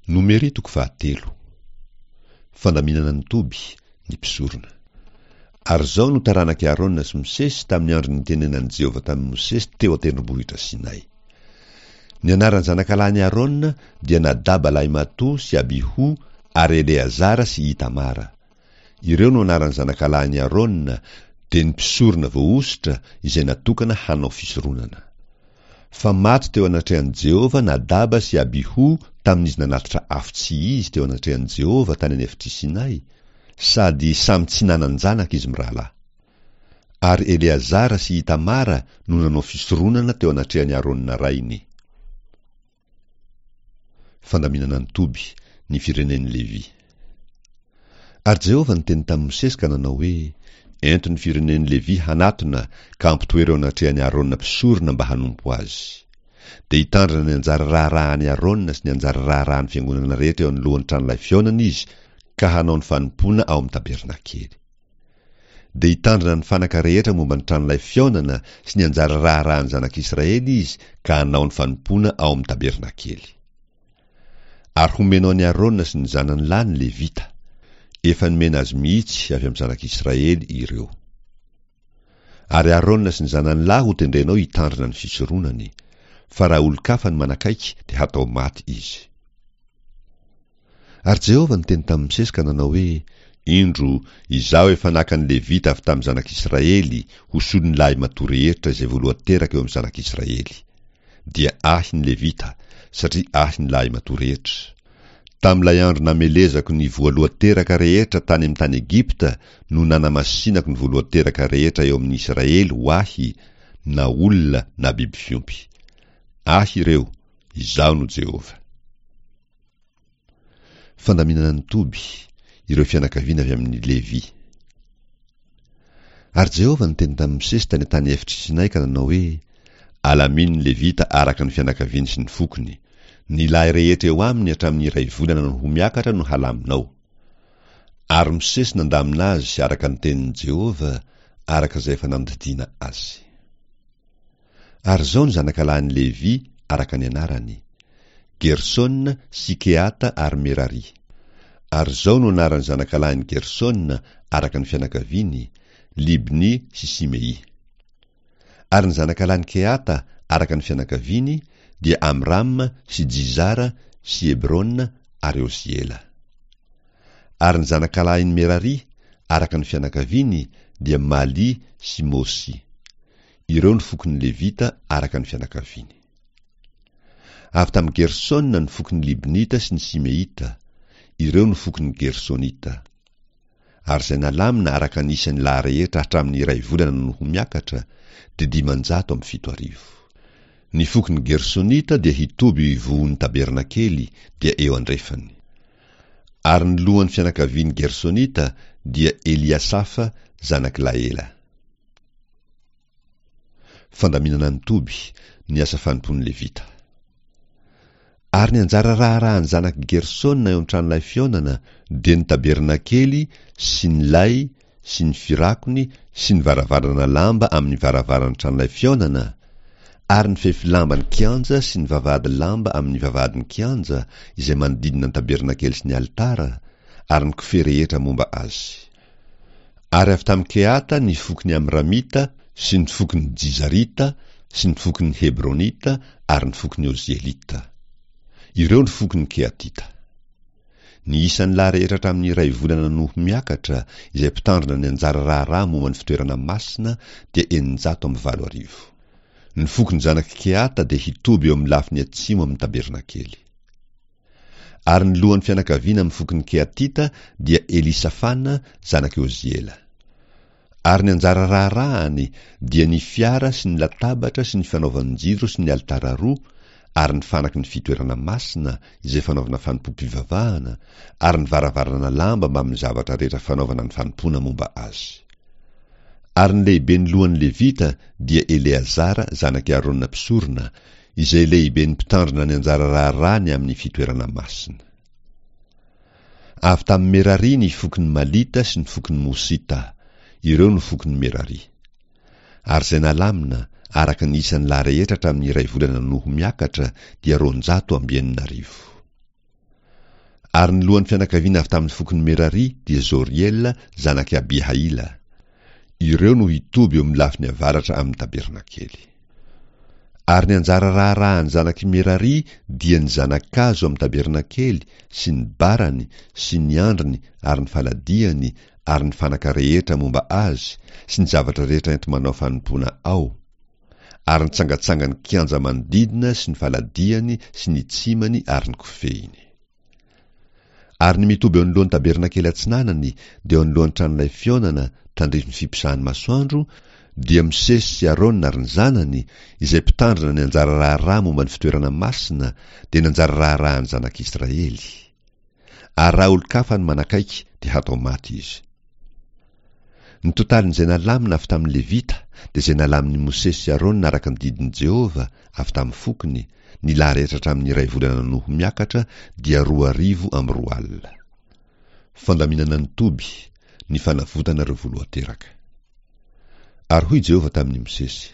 Nomery toko fahatelo. Fandaminana ny toby, ny mpisorona. Ary izao no taranak'i Arona sy Mosesy tamin'ny andro nitenenan'i Jehovah tamin'i Mosesy teo an-tendrombohitra Sinay. Ny anaran'ny zanakalahin'i Arona dia Nadaba lahimatoa sy Abiho ary Eleazara sy Itamara. Ireo no anaran'ny zanakalahin'i Arona, dia ny mpisorona voahosotra izay natokana hanao fisoronana. Fa maty teo anatrehan'i Jehovah Nadaba sy Abiho tamin'izy nanatitra afo tsy izy teo anatrehan'i Jehovah tany an'efitr'i Sinay, sady samy tsy nanan-janaka izy mirahalahy. Ary Eleazara sy Itamara no nanao fisoronana teo anatrehan'i Arona rainy. Fandaminana ny toby, ny firenen'i Levy. Ary Jehovah niteny tamin'i Mosesy ka nanao hoe, Ento ny firenen'i Levy hanatona ka ampitoero eo anatrehan'i Arona mpisorona mba hanompo azy. Dia hitandrina ny anjara raharahan'i Arona sy ny anjara raharahan'ny fiangonana rehetra eo anoloan'ny tranolay fihaonana izy ka hanao ny fanompoana ao amin'ny tabernakely. Dia hitandrina ny fanaka rehetra momba ny tranolay fihaonana sy ny anjara raharahan'ny zanak'Israely izy ka hanao ny fanompoana ao amin'ny tabernakely. Ary homenao an'i Arona sy ny zanany lahy ny Levita. Efa nomena azy mihitsy avy amin'ny zanak'Israely ireo. Ary Arona sy ny zanany lahy hotendrenao hitandrina ny fisoronany, fa raha olon-kafa no manakaiky dia hatao maty izy. Ary Jehovah niteny tamin'i Mosesy ka nanao hoe, Indro, Izaho efa naka ny Levita avy tamin'ny zanak'Israely ho solon'ny lahimatoa rehetra izay voalohan-teraka eo amin'ny zanak'Israely. Dia Ahy ny Levita, satria Ahy ny lahimatoa rehetra. Tamin'ilay andro namelezako ny voalohan-teraka rehetra tany amin'ny tany Egypta no nanamasinako ny voalohan-teraka rehetra eo amin'ny Israely ho Ahy, na olona na biby fiompy. Ahy ireo, Izaho no Jehovah. Fandaminana ny toby, ireo fianakaviana avy amin'i Levy. Ary Jehovah niteny tamin'i Mosesy tany an-tany efitr'i Sinay ka nanao hoe, Alamino ny Levita araka ny fianakaviany sy ny fokony. Ny lahy rehetra eo aminy hatramin'ny iray volana no ho miakatra no halaminao. Ary Mosesy nandamina azy araka ny tenin'i Jehovah, araka izay efa nandidiana azy. Ary izao ny zanakalahin'i Levy araka ny anarany, Gersona sy Kehata ary Merary. Ary izao no anaran'ny zanakalahin'i Gersona araka ny fianakaviany, Libny sy Simey. Ary ny zanakalahin'i Kehata araka ny fianakaviany dia Amrama sy Jizara sy Hebrona ary Oziela. Ary ny zanakalahin'i Merary araka ny fianakaviany dia Maly sy Mosy. Ireo ny fokon'ny Levita araka ny fianakaviany. Avy tamin'i Gersona ny fokon'ny Libnita sy ny Simeita. Ireo no fokon'ny Gersonita. Ary izay nalamina araka ny isan'ny lahy rehetra hatramin'ny iray volana no ho miakatra, dia 7500. Ny fokon'ny Gersonita dia hitoby eo ivohon'ny tabernakely, dia eo andrefany. Ary ny lohan'ny fianakavian'ny Gersonita dia Eliasafa zanak'i Laela. Fandaminana ny toby, ny asa fanompoan'ny Levita. Ary ny anjara raharahan'ny zanak'i Gersona eo an-tranolay fihaonana dia ny tabernakely sy ny lay sy ny firakony sy ny varavarana lamba amin'ny varavaran'ny tranolay fihaonana, ary ny fefy lamban'ny kianja sy ny vavahady lamba amin'ny vavahadin'ny kianja izay manodidina ny tabernakely sy ny alitara, ary ny kofehy rehetra momba azy. Ary avy tamin'i Kehata ny fokon'ny Amramita sy ny fokon'ny Jizarita sy ny fokon'ny Hebronita ary ny fokon'ny Ozielita. Ireo ny fokon'ny Kehatita. Ny isan'ny lahy rehetra hatramin'ny iray volana no ho miakatra, izay mpitandrina ny anjara raharaha momba ny fitoerana masina, dia 8600. Ny fokon'ny zanak'i Kehata dia hitoby eo amin'ny lafiny atsimo amin'ny tabernakely. Ary ny lohan'ny fianakaviana amin'ny fokon'ny Kehatita dia Elisafana zanak'i Oziela. Ary ny anjara raharahany dia ny fiara sy ny latabatra sy ny fanaovan-jiro sy ny alitara roa ary ny fanaky ny fitoerana masina izay fanaovana fanompoam-pivavahana ary ny varavarana lamba mbamin'ny zavatra rehetra fanaovana ny fanompoana momba azy. Ary ny lehiben'ny lohan'ny Levita dia Eleazara zanak'i Arona mpisorona, izay lehiben'ny mpitandrina ny anjara raharaha ny amin'ny fitoerana masina. Avy tamin'i Merary ny fokon'ny Malita sy ny fokon'ny Mosita, ireo no fokon'i Merary. Ary izay nalamina, araka ny isan'ny lahy rehetra hatramin'ny iray volana no ho miakatra, dia 6200. Ary ny lohan'ny fianakaviana avy tamin'ny fokon'i Merary dia Zoriela zanak'i Abihaila. Ireo no hitoby eo amin'ny lafiny avaratra amin'ny tabernakely. Ary ny anjara raharahan'ny zanak'i Merary dia ny zana-kazo amin'ny tabernakely sy ny barany sy ny andriny ary ny faladiany ary ny fanaka rehetra momba azy sy ny zavatra rehetra enti-manao fanompoana ao, ary ny tsangatsangan'ny kianja manodidina sy ny faladiany sy ny tsimany ary ny kofehiny. Ary ny mitoby eo anoloan'ny tabernakely atsinanany, dia eo anoloan'ny tranolay fihaonana, tandrifin'ny fiposahan'ny masoandro, dia Mosesy sy Arona ary ny zanany, izay mpitandrina ny anjara raharaha momba ny fitoerana masina, dia ny anjara raharahan'ny zanak'Israely. Ary raha olon-kafa no manakaiky, dia hatao maty izy. Ny totalin'izay nalamina avy tamin'ny Levita dia izay nalamin'i Mosesy sy Arona araka ny didin'i Jehovah avy tamin'ny fokony, ny lahy rehetra hatramin'ny iray volana no ho miakatra dia 2002. Fandaminana ny toby, ny fanavotana ireo voalohan-teraka. Ary hoy Jehovah tamin'i Mosesy,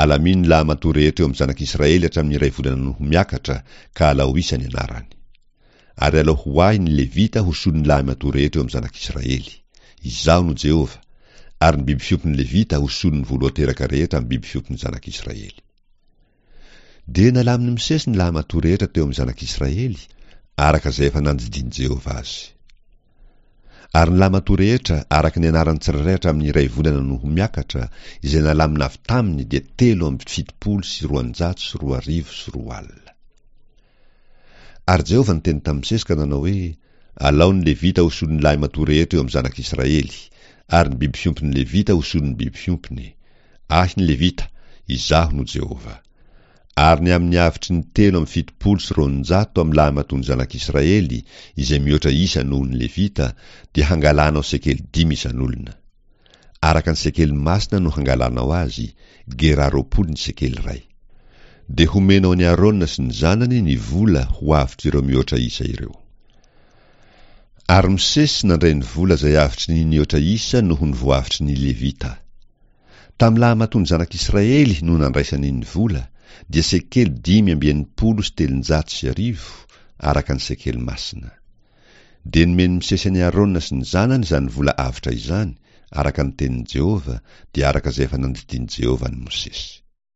Alamino ny lahimatoa rehetra eo amin'ny zanak'Israely hatramin'ny iray volana no ho miakatra, ka alao isa ny anarany. Ary alao ho ahy ny Levita ho solon'ny lahimatoa rehetra eo amin'ny zanak'Israely. Izaho no Jehovah. Ary ny biby fiompin'ny Levita ho solon'ny voalohan-teraka rehetra amin'ny biby fiompin'ny zanak'Israely. Dia nalamin'i Mosesy ny lahimatoa rehetra teo amin'ny zanak'Israely, araka izay efa nandidian'i Jehovah azy. Ary ny lahimatoa rehetra, araka ny anarany tsirairay hatramin'ny iray volana no ho miakatra, izay nalamina avy taminy dia 2073 20. Ary Jehovah niteny tamin'i Mosesy ka nanao hoe, Alao ny Levita ho solon'ny lahimatoa rehetra eo amin'ny zanak'Israely, ary ny biby fiompin'ny Levita ho solon'ny biby fiompiny. Ahy ny Levita, Izaho no Jehovah. Ary ny amin'ny avotry ny 273 amin'ny lahimatoan'ny zanak'Israely, izay mihoatra isa noho ny Levita, dia hangalanao sekely dimy isan'olona. Araka ny sekely masina no hangalanao azy, gerà 20 ny sekely iray. Dia homenao an'i Arona sy ny zanany ny vola ho avotr'ireo mihoatra isa ireo. Ary Mosesy nandray ny vola izay avotry ny nihoatra isa noho ny voavotry ny Levita. Tamin'ny lahimatoan'ny zanak'Israely no nandraisany ny vola, dia sekely 1365, araka ny sekely masina. Dia nomen'i Mosesy an'i Arona sy ny zanany izany vola avotra izany, araka ny tenin'i Jehovah, dia araka izay efa nandidian'i Jehovah an'i Mosesy.